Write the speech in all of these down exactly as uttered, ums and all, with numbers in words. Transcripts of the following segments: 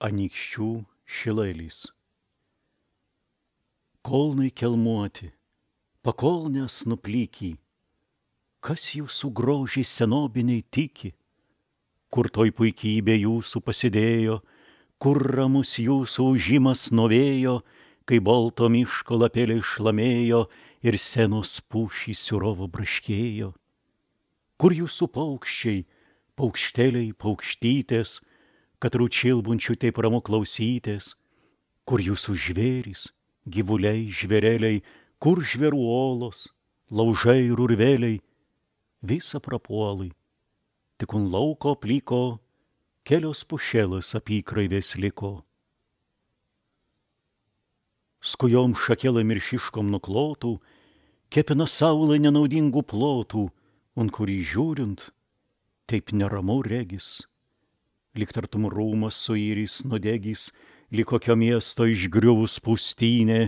Anykščių šilailys. Kolnai kelmuoti, pakolnės nuplyky, kas jūsų grožiai senobiniai tiki, kur toj puikybė jūsų pasidėjo, kur ramus jūsų ūžimas nuo vėjo, kai bolto miško lapeliai šlamėjo ir senos pušys siurovo braškėjo. Kur jūsų paukščiai, paukšteliai, paukštytės, kad rūčilbunčių taip ramu klausytės, kur jūsų žvėrys, gyvuliai, žvėreliai, kur žvėrų olos, laužai ir urveliai, visa prapuolai, tik un lauko plyko kelios pušėlos apykraivės liko. Skujom šakelai miršiškom nuklotų, kepina saulė nenaudingų plotų, un kurį žiūrint, taip neramu regis. Lyg tartum rūmas suirys nudegys, lyg kokio miesto išgriuvus pūstynė,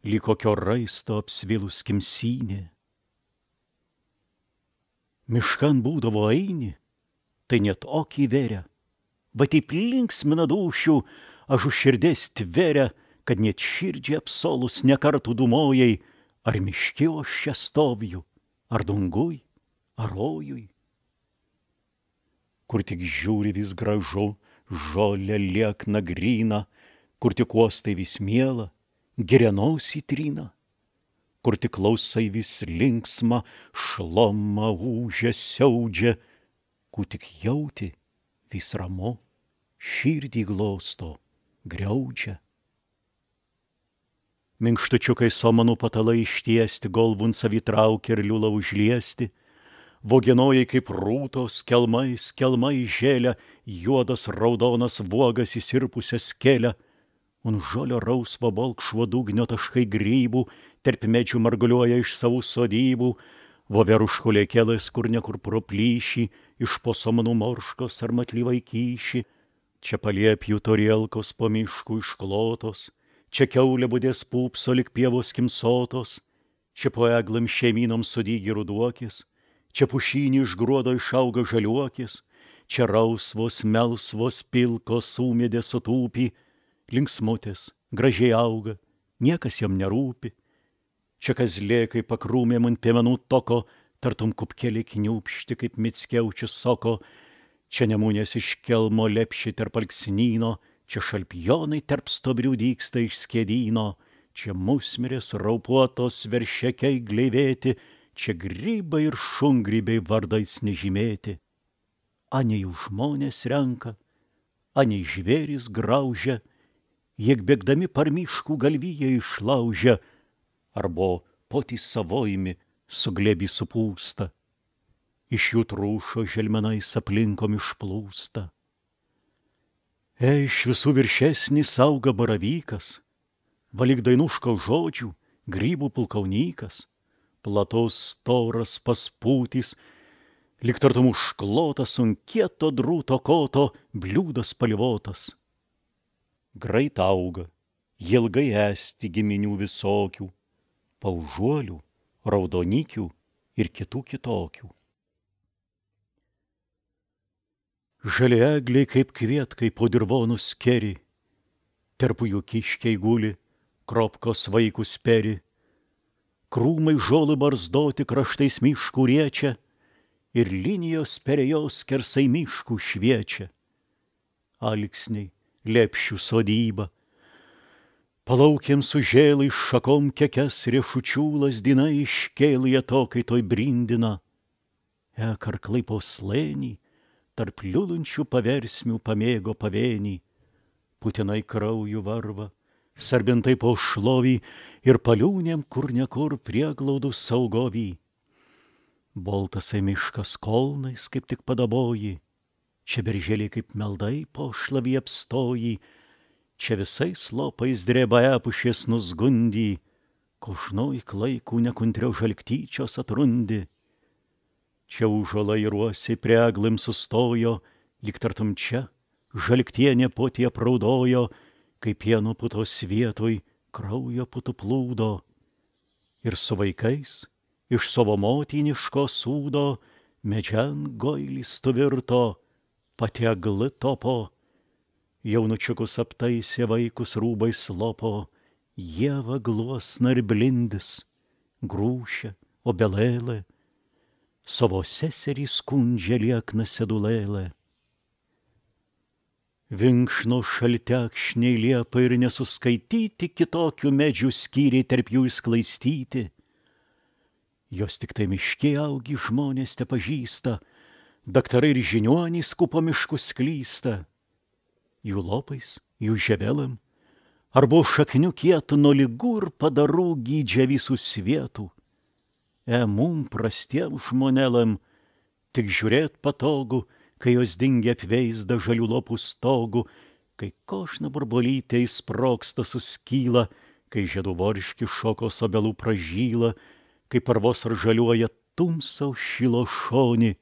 lyg kokio raisto apsvilus kimsynė. Miškan būdavo eini, tai net okį veria, va taip linksmina dūšių, aš už širdės tveria, kad net širdžiai apsolus nekartų dūmojai, ar miške aš čia stoviju, ar dungui, ar rojui. Kur tik žiūri vis gražu, žolė liekna gryna, kur tik uostai vis miela, gerianosį trina, kur tik klausai vis linksma, šloma ūžia, siaudžia, kur tik jauti vis ramu, širdį glosto, griaudžia. Minkštučiukai somanų patalai ištiesti, golvun savi traukia ir liūla užliesti, vogenojai kaip rūtos, kelmai, kelmai žėlia, juodas raudonas vuogas įsirpusias kelia, un žolio rausvo balkšvo dugnio taškai grybų, tarp medžių marguliuoja iš savų sodybų, voveruško lėkelės kur nekur pro plyšį, iš po somanų morškos ar matlyvai kyšį, čia paliepjų torielkos po miškų išklotos, čia kiaulė budės pūpso lik pievos kimsotos, čia po eglam šeimynom sudygi ruduokis, čia pušynį iš gruodo išauga žaliuokis, čia rausvos, melsvos, pilkos ūmėdės sutūpį, linksmutės, gražiai auga, niekas jam nerūpi. Čia kazlėkai pakrūmėm ant piemenų toko, tartum kupkelį kniūpšti kaip mickiaučius soko, čia nemūnės iš kelmo lepši tarp alksnyno, čia šalpjonai tarp stobrių dyksta iš skėdyno, čia musmirės raupuotos veršekiai gleivėti, čia grybai ir šungrybiai vardais nežymėti. Anei jų žmonės renka, anei žvėrys graužia, jiek bėgdami par miškų galviją išlaužia, arbo potys savojimi suglėbi supūsta, iš jų trūšo želmenais aplinkom išplūsta. E, iš visų viršesnis auga baravykas, valyk dainuško žodžių, grybų pulkaunykas, platos storas paspūtis, lyg tartum užklotas ant kieto drūto koto bliūdas spalvotas. Greit auga, ilgai esti giminių visokių, paužuolių, raudonikių ir kitų kitokių. Žali egliai kaip kvietkai po dirvonų skeri, tarp jų kiškiai guli, kropkos vaikus peri, krūmai žolų barzdoti kraštais miškų riečia ir linijos perėjos skersai miškų šviečia. Alksniai, lepšių sodyba, palaukiam sužėlai šakom kekes riešučių lazdinai iškėlė atokai toj brindina. E, karklai po slėnį, tarp liulančių paversmių pamėgo pavėnį, putinai kraujų varva, sarbintai po šlovį ir paliūnėm kur nekur prieglaudų saugovį. Boltasai miškas kolnais kaip tik padaboji, čia berželiai kaip meldai po šlavį apstoji, čia visais lopais dreba epušės nusgundy, košnoj klaikų nekuntriau žalktyčios atrundi. Čia užuolai ruosiai prie eglim sustojo, lyg tartum čia žalktienė potie praudojo, kaip pieno putos vietoj kraujo putų plūdo. Ir su vaikais iš savo motiniško sūdo medžian goilis tuvirto, pati egli topo, Jaunučiukus aptaisė vaikus rūbais lopo, ieva gluosna ir blindis, grūšia, obelėlė, savo seserį skundžia liekna sedulėlė. Vinkšno šaltekšniai liepa ir nesuskaityti, kitokių medžių skyriai tarp jų išsklaistyti. Jos tik tai miške augi žmonės te pažįsta, daktarai ir žiniuonys skupo miškus klysta. Jų lopais, jų ževelėm, arba šaknių kietų nuo ligų ir padarų gydžia visų svietų. E mum prastiem žmonėlam tik žiūrėt patogu, kai jos dingia apveizda žalių lopų stogų, kai košna burbulytė įsprogsta suskyla, kai žiedų vorški šokos obelų pražyla, kai parvos ar žaliuoja tumsau šilo šoni,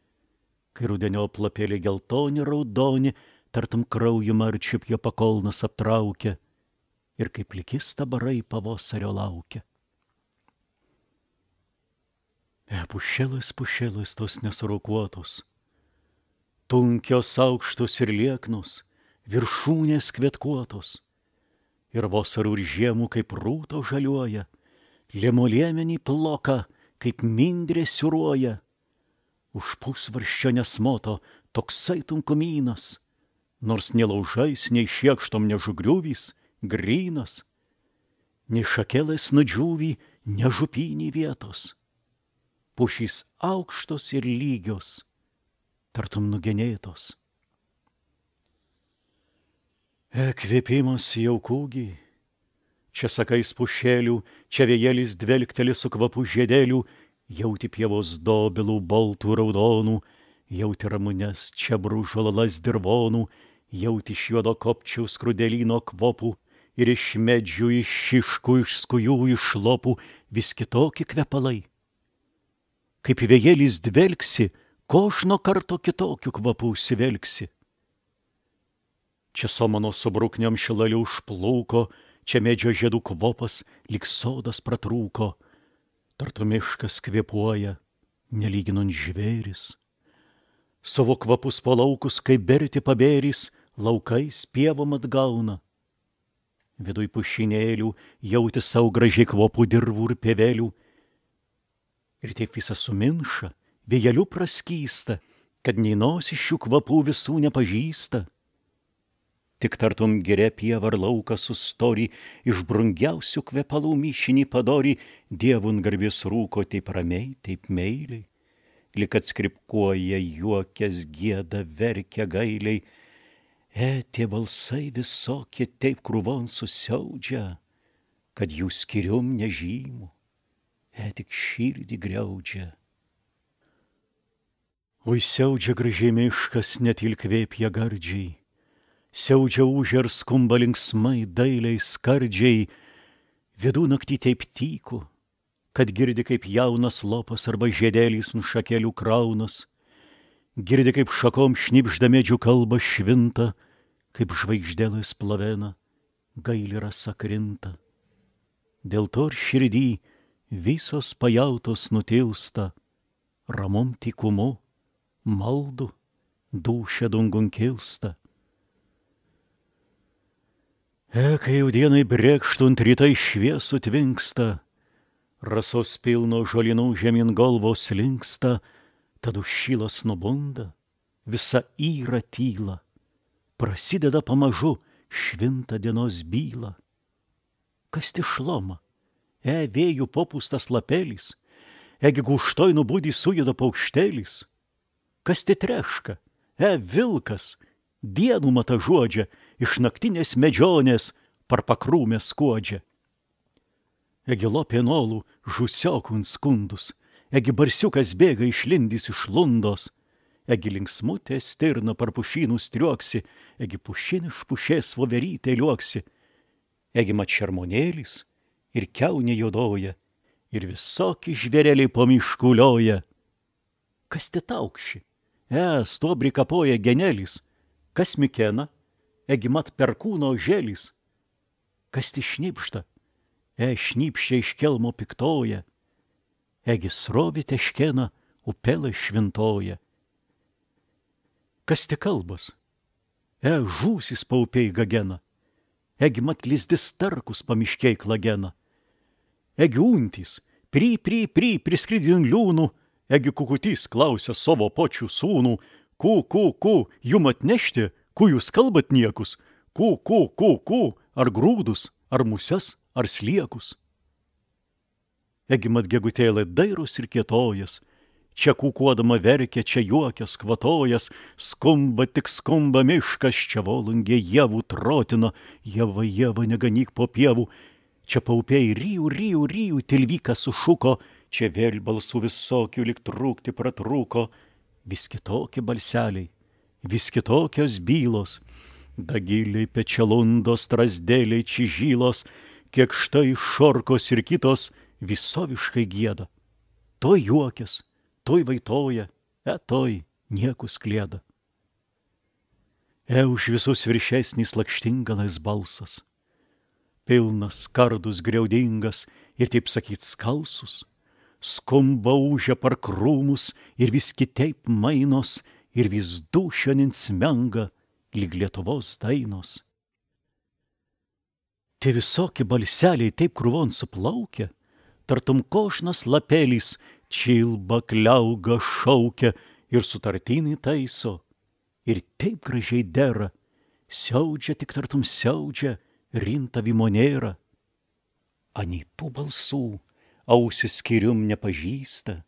kai rudeniop lapėlė geltoni raudoni, tartum krauju marčiup jo pakolnas aptraukia, ir kaip pliki stabarai pavasario laukia. E pušėlas, pušėlas tos nesurokuotos, tunkios aukštos ir lieknos, viršūnės kvetkuotos, ir vasarų ir žiemų kaip rūto žaliuoja, liemoliemenį ploka, kaip mindrė siūruoja. Už pusvarščio nesmoto toksai tunkumynas, nors nei laužais, nei šiekštom nežugriuvys, grynas, nei šakelės nudžiūvy, nežupinį vietos. Pušys aukštos ir lygios, tartum nugenėtos. E kvėpimas jaukūgi, čia sakais pušėlių, čia vėjėlis dvelkteli su kvapu žiedėlių, jauti pievos dobilų baltų raudonų, jauti ramunes čebrų žolalas dirvonų, jauti iš juodo kopčiaus skrudelyno kvopų ir iš medžių, iš šiškų, iš skujų, iš lopų vis kitokie kvepalai. Kaip vėjėlis dvelksi, kožno karto kitokių kvapų užsivelksi. Čia samano su brukniam šilaliu užplūko, čia medžio žiedų kvopas lyg sodas pratrūko, tartu miškas kvėpuoja, nelyginant žvėris. Savo kvapus po laukus, kaip berti pabėris, laukais pievom atgauna. Viduj pušinėlių jauti savo gražiai kvopų dirvų ir pievelių, ir taip visą suminša, vėjeliu praskysta, kad nei nosis šių kvapų visų nepažįsta. Tik tartum giria pieva ar lauką sustori, iš brungiausių kvepalų mišinį padori, dievun garbės rūko taip ramiai, taip meiliai, lyg atskripkuoja, juokės, gieda, verkia gailiai. E, tie balsai visokie taip krūvon susiaudžia, kad jų skirium nežymų, e tik širdį griaudžia. Oi siaudžia gražiai miškas, net ilkvėpja gardžiai, siaudžia ūžia ir skumba linksmai, dailiai, skardžiai, vidų naktį taip tyku, kad girdi kaip jaunas lopas arba žiedėlys nuo šakelių kraunas, girdi kaip šakom šnipžda medžių kalba švinta, kaip žvaigždėlės plavena, gaili rasa krinta. Dėl to ir širdį visos pajautos nutilsta, ramom tykumu, maldu, dūšia dungun kilsta. E, kai jau dienai brėkštunt rytai šviesų tvinksta, rasos pilno žolinų žemyn galvos linksta, tad užšylas nubunda, visa yra tyla, prasideda pamažu švinta dienos byla. Kas ti šloma, e vėjų popūstas lapelis, egi gūštoj nubudį sujuda paukštelis. Kas ti treška, e vilkas, dienų mata žuodžia, iš naktinės medžionės par pakrūmę skuodžia. Egi lopėnolų žusiokų skundus, egi barsiukas bėga išlindys iš lundos, egi linksmutė stirna par pušynų striuoksi, egi pušin iš pušės voverytė liuoksi, egi mat šermonėlis ir kiaunė juodoja, ir visoki žvėreliai po miškų lioja. Kas te taukši, e, stuobrį kapoja genelis, kas mikena, egi mat perkūno žėlis, kas ti šnipšta, e, šnipščia iš kelmo piktoja, egi srovė teškena, upelė švintoja. Kas ti kalbas, E, žūsis paupiai gagena, egi mat lizdis tarkus pamiškiai klagena, egi untys, pry, pry, pry, priskridin liūnų, egi kukutys klausia savo počių sūnų, ku, ku, ku, jum atnešti, ku jūs kalbat niekus, ku, ku, ku, ku, ar grūdus, ar muses, ar sliekus. Egi mat gegutėlė dairos ir kietojas, čia kūkuodama verkia, čia juokias, kvatojas, skumba tik skumba miškas, čia volungė javų trotina, java, java, neganyk po pievų, čia paupiai ryjų, ryjų, ryjų, tilvykas sušuko, čia vėl balsų visokių lyg trūkti pratrūko, vis kitokie balseliai, vis kitokios bylos, dagiliai, pečelundos, strazdėliai, čižylos, kiek štai šorkos ir kitos visoviškai gieda. Toj juokės, toj vaitoja, e toj niekus klieda. E už visus viršesnis lakštingalais balsas, pilnas, skardus, griaudingas ir taip sakyt skalsus, skumba ūžia par krūmus ir vis kitaip mainos ir vis dūšionin smenga lyg Lietuvos dainos. Tie visokie balseliai taip krūvon suplaukia, tartum košnas lapelys čilba, kliauga, šaukia ir sutartinį taiso. Ir taip gražiai dera, siaudžia tik tartum siaudžia, rinta vimonėra. Anei tų balsų ausis skirium nepažįsta,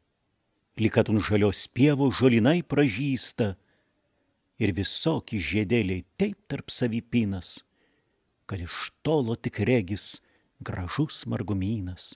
lyg kad ant žalios pievos žolinai pražįsta, ir visoki žiedėliai taip tarp savipinas, kad iš tolo tik regis gražus margumynas.